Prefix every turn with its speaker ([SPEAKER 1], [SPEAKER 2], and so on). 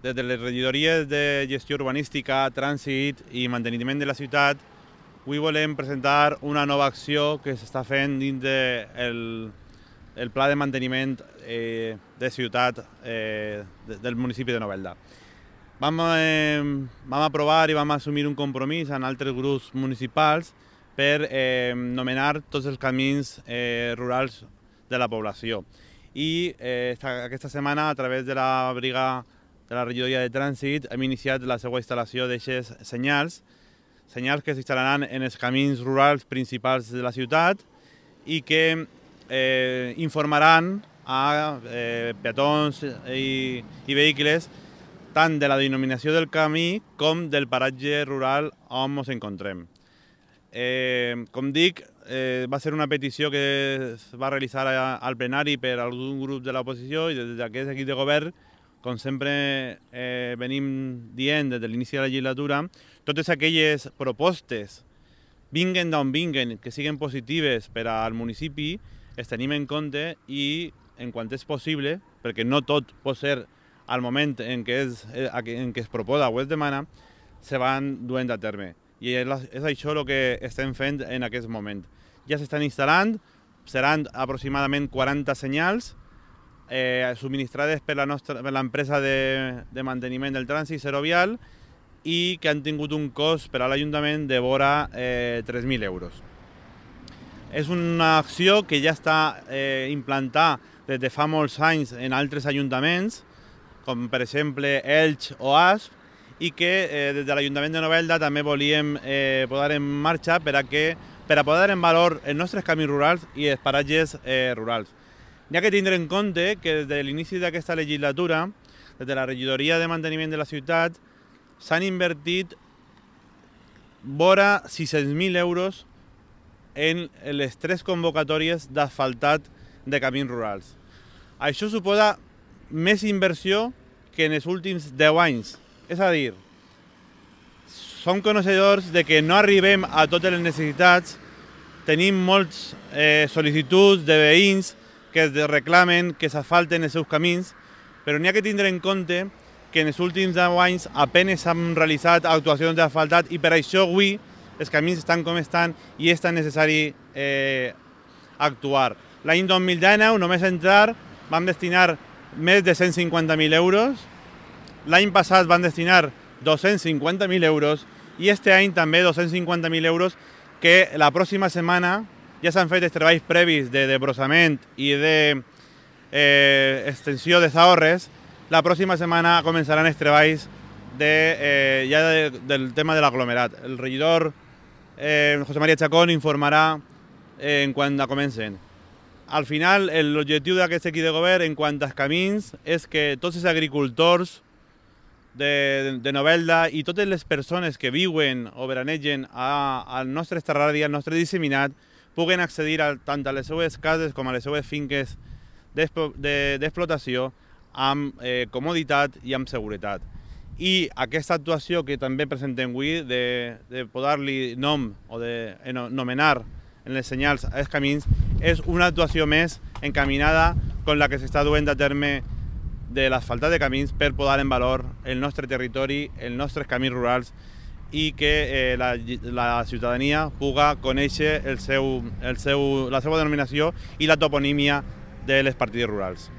[SPEAKER 1] Des de les regidories de gestió urbanística, trànsit i manteniment de la ciutat, avui volem presentar una nova acció que s'està fent dins del pla de manteniment de ciutat del municipi de Novelda. Vam aprovar i vam assumir un compromís amb altres grups municipals per nomenar tots els camins rurals de la població. I aquesta setmana, a través de la brigada de la regidoria de trànsit, hem iniciat la seva instal·lació d'aixes senyals que s'instal·laran en els camins rurals principals de la ciutat i que informaran a peatons i vehicles tant de la denominació del camí com del paratge rural on ens encontrem. Com dic, va ser una petició que es va realitzar al plenari per algun grup de l'oposició i des d'aquest equip de govern, com sempre venim dient des de l'inici de la legislatura, totes aquelles propostes, vinguen d'on vinguen, que siguin positives per al municipi, es tenim en compte i, en quant és possible, perquè no tot pot ser al moment en què es proposa o es demana, se van duent a terme. I és això el que estem fent en aquest moment. Ja s'estan instal·lant, seran aproximadament 40 senyals subministrades per l'empresa de manteniment del trànsit Serovial i que han tingut un cost per a l'Ajuntament de vora 3.000 euros. És una acció que ja està implantada des de fa molts anys en altres ajuntaments, com per exemple Elx o Asp, i que des de l'Ajuntament de Novelda també volíem posar en marxa per a posar en valor els nostres camins rurals i els paratges rurals. N'hi ha que tindre en compte que des de l'inici d'aquesta legislatura, des de la regidoria de manteniment de la ciutat, s'han invertit vora 600.000 euros en les 3 convocatòries d'asfaltat de camins rurals. Això suposa més inversió que en els últims 10 anys. És a dir, som coneixedors de que no arribem a totes les necessitats, tenim moltes sol·licituds de veïns que es reclamen que s'asfalten els seus camins, però n'hi ha que tindre en compte que en els últims 10 anys apenas s'han realitzat actuacions d'asfaltat i per això avui els camins estan com estan i és tan necessari actuar. L'any 2019, només entrar, vam destinar més de 150.000 euros, l'any passat van destinar 250.000 euros i este any també 250.000 euros que la pròxima setmana ja s'han fet els treballs previs de desbrossament i d'extensió de zaorres. La pròxima setmana començaran els treballs del tema de l'aglomerat. El regidor José María Chacón informarà en quan comencen. Al final, l'objectiu d'aquest equip de govern en quant als camins és que tots els agricultors de Novelda i totes les persones que viuen o veranegen al nostre esterradi, al nostre disseminat, puguen accedir tant a les seues cases com a les seues finques d'explotació amb comoditat i amb seguretat. I aquesta actuació que també presentem avui de posar-li nom o de nomenar en les senyals als camins és una actuació més encaminada com la que s'està duent a terme de l'asfaltat de camins per posar en valor el nostre territori, els nostres camins rurals i que la ciutadania puga conèixer la seva denominació i la toponímia de les partides rurals.